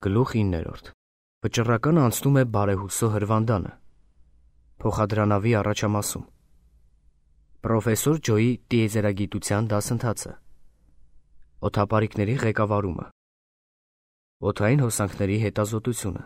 Գլուխ 9. Վճռականը անցնում է բարեհուսո հրվանդանը։ Փոխադրանավի առաջամասում։ Պրոֆեսոր Ջոյի տիեզերագիտության դասընթացը։ Օդապարիկների ղեկավարումը։ Օդային հոսանքների հետազոտությունը։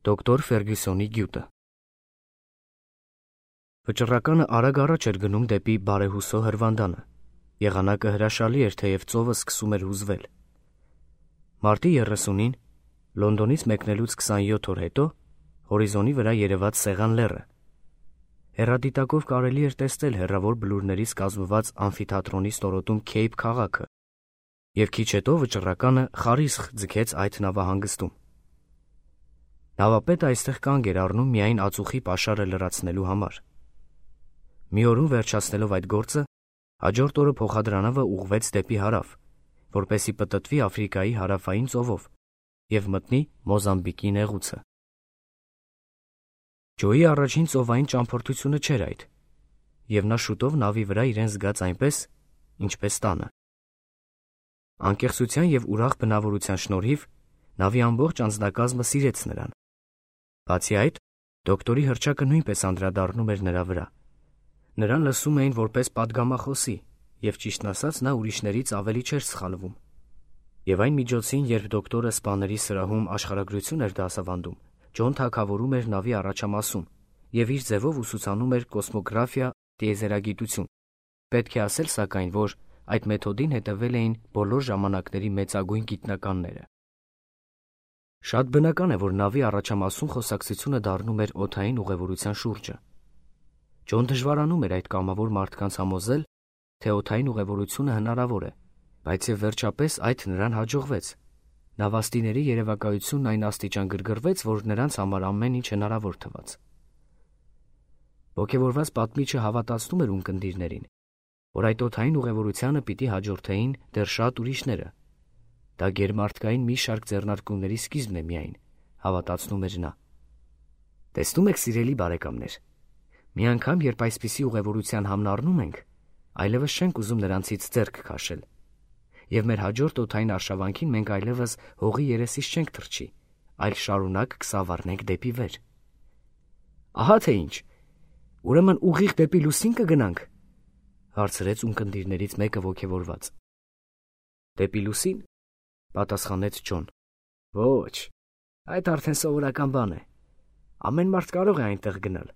Դոկտոր Ֆերգյուսոնի գյուտը։ Վճռականը արագ առաջ էր գնում դեպի բարեհուսո հրվանդանը։ Եղանակը հրաշալի էր, թեև ծովը սկսում էր հուզվել։ Մարտի 30-ին Լոնդոնից մեկնելուց 27 օր հետո հորիզոնի վրա երևաց Սեղան լեռը։ Հեռադիտակով կարելի էր տեսնել հեռավոր բլուրներից կազմված ամֆիթատրոնի ստորոտում Քեյփ քաղաքը, և քիչ հետո վճռականը խարիսխ ձգեց այդ նավահանգստում։ Նավապետը այստեղ կանգ էր առնում միայն ածուխի պաշարը լրացնելու համար։ Մի օրում վերջացնելով այդ գործը, հաջորդ օրը փոխադրանավը ուղղվեց դեպի հարավ, որպեսզի պտտվի Աֆրիկայի հարավային ծովով և մտնի Մոզամբիկի նեղուցը։ Ջոյի առաջին ծովային ճամփորդությունը չէր այդ, և նա շուտով նավի վրա իրեն զգաց այնպես, ինչպես տանը։ Անկեղծության և ուրախ բնավորության շնորհիվ նավի ամբողջ անձնակազմը սիրեց նրան։ Բացի այդ, դոկտորի հռչակը նույնպես անդրադառնում էր նրա վրա։ Նրան լսում էին որպես պատգամախոսի, և ճիշտն ասած նա ուրիշներից ավելի չէր սխալվում։ Եվ այն միջոցին, երբ դոկտորը սպաների սրահում աշխարհագրություն էր դասավանդում, Ջոն թագավորում էր նավի առաջամասում և իր ձևով ուսուցանում էր կոսմոգրաֆիա, տիեզերագիտություն։ Պետք է ասել, սակայն, որ այդ մեթոդին հետևել էին բոլոր ժամանակների մեծագույն գիտնականները։ Շատ բնական է, որ նավի առաջամասում խոսակցությունը դառնում էր օդային ուղևորության շուրջը։ Ջոն դժվարանում էր այդ կամավոր մարդկանց համոզել, թե օդային ուղևորությունը հնարավոր է, բայց և վերջապես այդ նրան հաջողվեց։ Նավաստիների երևակայությունն այն աստիճան գրգռվեց, որ նրանց համար ամեն ինչ հնարավոր թվաց։ Ոգևորված պատմիչը հավատացնում էր ունկնդիրներին, որ այդ օդային ուղևորությանը պիտի հաջորդեին դեռ շատ ուրիշները։ Դա գերմարդկային մի շարք ձեռնարկումների սկիզբն է միայն, հավատացնում էր նա։ Տեսնում եք, սիրելի բարեկամներ, մի անգամ, երբ այսպիսի ուղևորության համն առնում ենք, այլևս չենք ուզում նրանցից ձեռք քաշել, և մեր հաջորդ օդային արշավանքին մենք այլևս հողի երեսից չենք թռչի, այլ շարունակ կսավառնենք դեպի վեր։ Ահա թե ինչ, ուրեմն ուղիղ դեպի լուսին կգնանք, հարցրեց ունկնդիրներից մեկը ոգևորված։ Դեպի լուսին, պատասխանեց Ջոն։ Ոչ, այդ արդեն սովորական բան է։ Ամեն մարդ կարող է այնտեղ գնալ։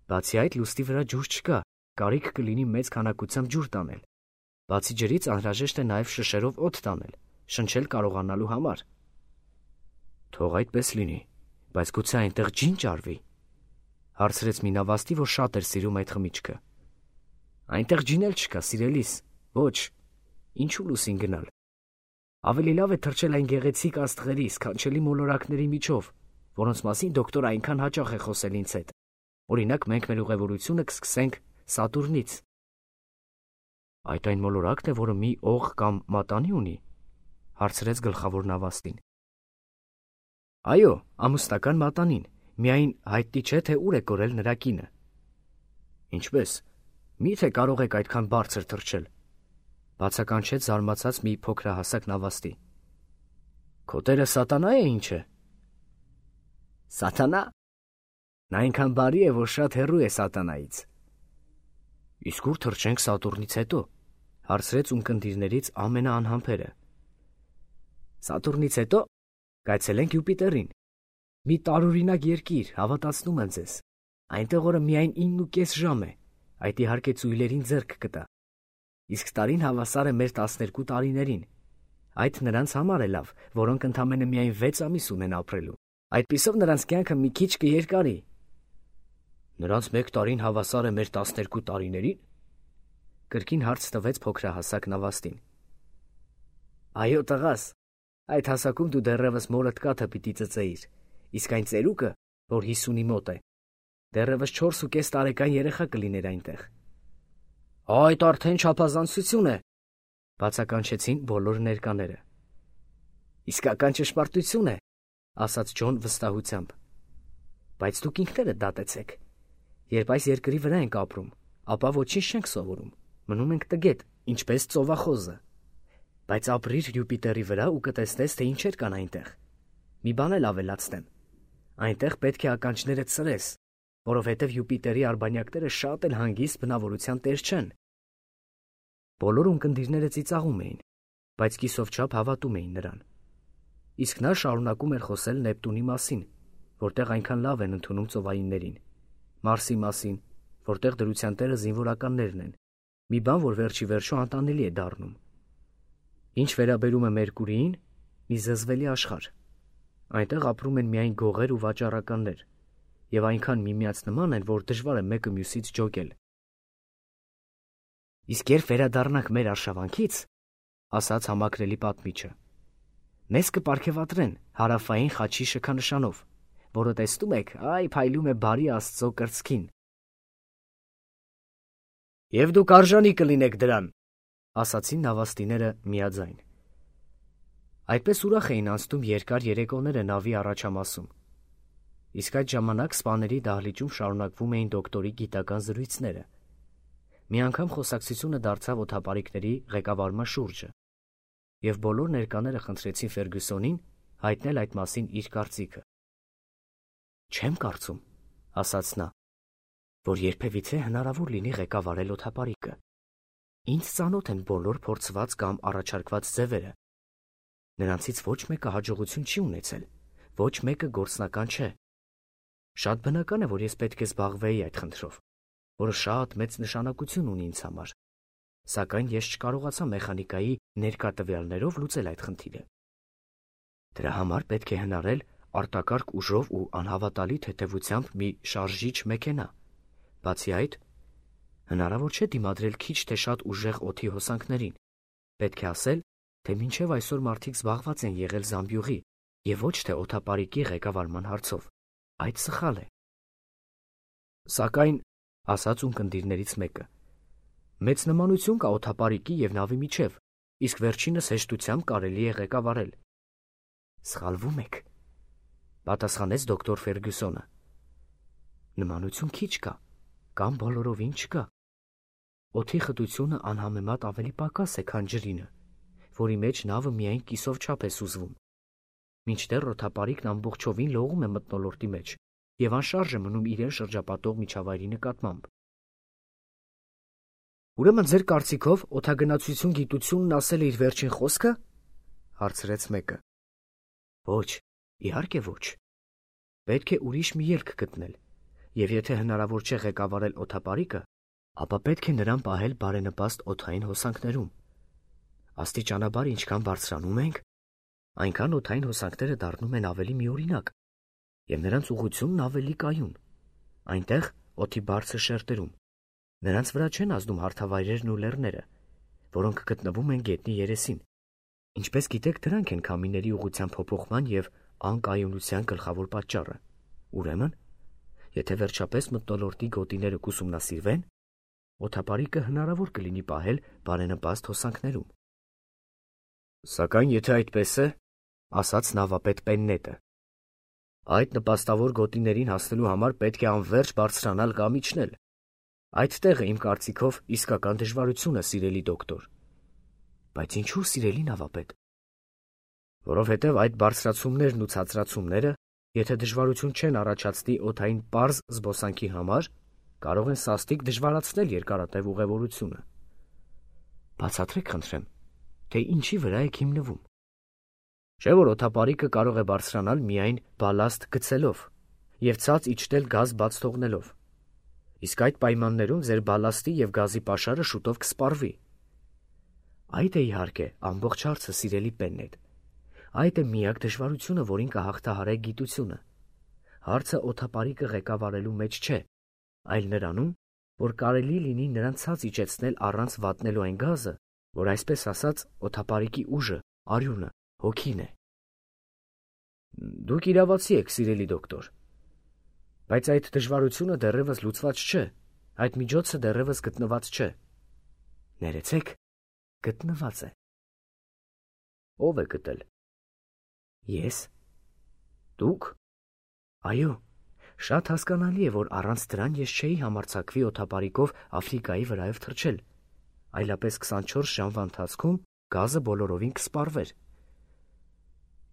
Բացի այդ, լուսնի վրա ջուր չկա, կարիք կլինի մեծ քանակությամբ ջուր տանել։ Բացի ջրից անհրաժեշտ է նաև շշերով օդ տանել, շնչել կարողանալու համար։ Թող այդպես լինի, բայց գուցե այնտեղ ջին ճարվի, հարցրեց մի նավաստի, որ շատ էր սիրում այդ խմիչքը։ Այնտեղ ջին էլ չկա, սիրելիս, ոչ, ինչու լուսին գնալ։ Ավելի լավ է թռչել այն գեղեցիկ աստղերի, սքանչելի մոլորակների միջով, որոնց մասին դոկտորը այնքան հաճախ է խոսել ինձ հետ։ Օրինակ, մենք մեր ուղևորությունը կսկսենք Սատուրնից։ Այդ այն մոլորակն է, որը մի օղ կամ մատանի ունի, հարցրեց գլխավոր նավաստին։ Այո, ամուսնական մատանին, միայն հայտնի չէ, թե ուր է կորել նրա կինը։ Ինչպես, մի՞թե կարող եք այդքան բարձր թռչել, բացականչեց զարմացած մի փոքրահասակ նավաստի։ Քո տերը սատանա է, ինչ է։ Սատանա։ Նա այնքան բարի է, որ շատ հեռու է սատանայից։ Իսկ ուր թռչենք Սատուրնից հետո, հարցրեց ունկնդիրներից ամենաանհամբերը։ Սատուրնից հետո կայցելենք Յուպիտերին։ Մի տարօրինակ երկիր, հավատացնում եմ ձեզ։ Այնտեղ օրը միայն 9.5 ժամ է, այդ իհարկե ծույլերին ձեռք կտա։ Իսկ տարին հավասար է մեր 12 տարիներին։ Այդ նրանց համար է լավ, որոնք ընդամենը միայն 6 ամիս ունեն ապրելու։ Այդպիսով նրանց կյանքը մի քիչ կերկարի։ Նրանց մեկ տարին հավասար է մեր 12 տարիներին։ Կրկին հարց տվեց փոքրահասակ նավաստին։ Այո, տղաս, այդ հասակում դու դեռևս մորդ կաթը պիտի ծծեիր, իսկ այն ծերուկը, որ 50-ի մոտ է, դեռևս 4.5 տարեկան երեխա կլիներ այնտեղ։ Այդ արդեն չափազանցություն է, բացականչեցին բոլոր ներկաները։ Իսկական ճշմարտություն է, ասաց Ջոն վստահությամբ։ Բայց դուք ինքներդ դատեցեք։ Երբ այս երկրի վրա ենք ապրում, ապա ոչինչ չենք սովորում, մնում ենք տգետ, ինչպես ծովախոզը։ Բայց ապրիր Յուպիտերի վրա ու կտեսնես, թե ինչեր կան այնտեղ։ Մի բան էլ ավելացնեմ. այնտեղ պետք է ականջներդ սրես, որովհետև Յուպիտերի արբանյակները շատ էլ հանգիստ բնավորության տեր չեն։ Բոլոր ունկնդիրները ծիծաղում էին, բայց կիսով չափ հավատում էին նրան։ Իսկ նա շարունակում էր խոսել Նեպտունի մասին, որտեղ այնքան լավ են ընդունում ծովայիններին, Մարսի մասին, որտեղ դրության տերը զինվորականներն են, մի բան, որ վերջի վերջո անտանելի է դառնում։ Ինչ վերաբերում է Մերկուրիին, մի զզվելի աշխարհ։ Այնտեղ ապրում են միայն գողեր ու վաճառականներ, եւ այնքան միմյանց նման են, որ դժվար է մեկը մյուսից ջոկել։ Իսկ երբ վերադառնանք մեր արշավանքից, ասաց համակրելի պատմիչը, մեզ կպարգևատրեն հարավային խաչի շքանշանով, որը տեսնում եք, այ փայլում է բարի Աստծո կրծքին։ Եվ դուք արժանի կլինեք դրան, ասացին նավաստիները միաձայն։ Այդպես ուրախ էին անցնում երկար երեկոները նավի առաջամասում։ Իսկ այդ ժամանակ սպաների դահլիճում շարունակվում էին դոկտորի գիտական զրույցները։ Մի անգամ խոսակցությունը դարձավ օդապարիկների ղեկավարման շուրջը, եւ բոլոր ներկաները խնդրեցին Ֆերգյուսոնին հայտնել այդ մասին իր կարծիքը։ Չեմ կարծում, ասաց նա, որ երբևիցե հնարավոր լինի ղեկավարել օդապարիկը։ Ինձ ծանոթ են բոլոր փորձված կամ առաջարկված ձևերը։ Նրանցից ոչ մեկը հաջողություն չի ունեցել, ոչ մեկը գործնական չէ։ Շատ բնական է, որ ես պետք է զբաղվեի այդ խնդրով, որը շատ մեծ նշանակություն ունի ինձ համար, սակայն ես չկարողացա մեխանիկայի ներկա տվյալներով լուծել այդ խնդիրը։ Դրա համար պետք է հնարել արտակարգ ուժով ու անհավատալի թեթևությամբ մի շարժիչ մեքենա։ Բացի այդ, հնարավոր չէ դիմադրել քիչ թե շատ ուժեղ օդի հոսանքներին։ Պետք է ասել, թե մինչև այսօր մարդիկ զբաղված են եղել զամբյուղի եւ ոչ թե օդապարիկի ղեկավարման հարցով։ Այդ սխալ է։ Սակայն, ասաց ունկնդիրներից մեկը, մեծ նմանություն կա օդապարիկի եւ նավի միջև, իսկ վերջինս հեշտությամբ կարելի է ղեկավարել։ Սխալվում եք, պատասխանեց դոկտոր Ֆերգյուսոնը։ Նմանություն քիչ կա, կամ բոլորովին չկա։ Օդի խտությունը անհամեմատ ավելի պակաս է, քան ջրինը, որի մեջ նավը միայն կիսով չափ է սուզվում, մինչդեռ օդապարիկն ամբողջովին լողում է մթնոլորտի մեջ եւ անշարժ է մնում իրեն շրջապատող միջավայրի նկատմամբ։ Ուրեմն ձեր կարծիքով օդագնացություն գիտությունն ասել է իր վերջին խոսքը, հարցրեց մեկը։ Ոչ, իհարկե ոչ։ Պետք է ուրիշ մի ելք գտնել, եւ եթե հնարավոր չէ ղեկավարել օդապարիկը, ապա պետք է նրան պահել բարենպաստ օդային հոսանքներում։ Աստիճանաբար ինչքան բարձրանում ենք, այնքան օդային հոսանքները դառնում են ավելի միօրինակ, եւ նրանց ուղղությունն ավելի կայուն։ Այնտեղ օդի բարձր շերտերում նրանց վրա չեն ազդում հարթավայրերն ու լեռները, որոնք գտնվում են գետնի երեսին։ Ինչպես գիտեք, դրանք են քամիների ուղղության փոփոխման եւ անկայունության գլխավոր պատճառը։ Ուրեմն, եթե վերջապես մթնոլորտի գոտիները կուսումնասիրվեն, օդապարիկը հնարավոր կլինի պահել բարենպաստ հոսանքներում։ Սակայն եթե այդպես է, ասաց նավապետ Պեննետը, այդ նպաստավոր գոտիներին հասնելու համար պետք է անվերջ բարձրանալ կամ իջնել։ Այդ տեղը իմ կարծիքով իսկական դժվարություն է, սիրելի դոկտոր։ Բայց ինչու, սիրելի նավապետ։ Որովհետև այդ բարձրացումներն ու ցածրացումները, եթե դժվարություն չեն առաջացնի օդային պարզ զբոսանքի համար, կարող են սաստիկ դժվարացնել երկարատև ուղևորությունը։ Բացատրեք, խնդրեմ, թե ինչի վրա եք հիմնվում։ Չէ՞ որ օդապարիկը կարող է բարձրանալ միայն բալաստ գցելով եւ ցած իջնել գազ բաց թողնելով։ Իսկ այդ պայմաններում ձեր բալաստի եւ գազի պաշարը շուտով կսպառվի։ Այդ է իհարկե ամբողջ հարցը, սիրելի Պեննետ։ Այդ է միակ դժվարությունը, որին կհաղթահարեք գիտությունը։ Հարցը օդապարիկը ղեկավարելու մեջ չէ, այլ նրանում, որ կարելի լինի նրան ցած իջեցնել առանց վատնելու այն գազը, որ այսպես ասած օդապարիկի ուժը, արյունը, հոգին է։ Դուք իրավացի եք, սիրելի դոկտոր։ Բայց այդ դժվարությունը դեռևս լուծված չէ, այդ միջոցը դեռևս գտնված չէ։ Ներեցեք, գտնված է։ Ո՞վ է գտել։ Ես։ Դուք։ Այո, շատ հասկանալի է, որ առանց դրան ես չէի համարձակվի օդապարիկով Աֆրիկայի վրայով թռչել, այլապես 24 ժամվա ընթացքում գազը բոլորովին կսպառվեր։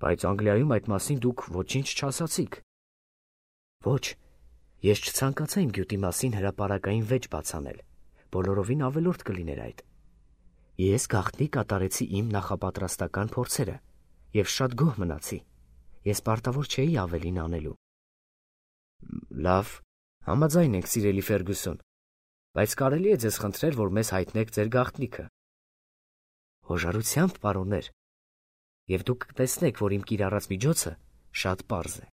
Բայց Անգլիայում այդ մասին դուք ոչինչ չասացիք։ Ոչ, ես չցանկացա իմ գյուտի մասին հրապարակային վեճ բացանել, բոլորովին ավելորդ կլիներ այդ։ Ես գաղտնի կատարեցի իմ նախապատրաստական փորձերը և շատ գոհ մնացի։ Ես պարտավոր չէի ավելին անելու։ Լավ, համաձայն ենք, սիրելի Ֆերգուսոն, բայց կարելի է ձեզ խնդրել, որ մեզ հայտնեք ձեր գաղտնիքը։ Հոժարությամբ, պարոններ, և դուք կտեսնեք, որ իմ կիրառած միջոցը շատ պարզ է։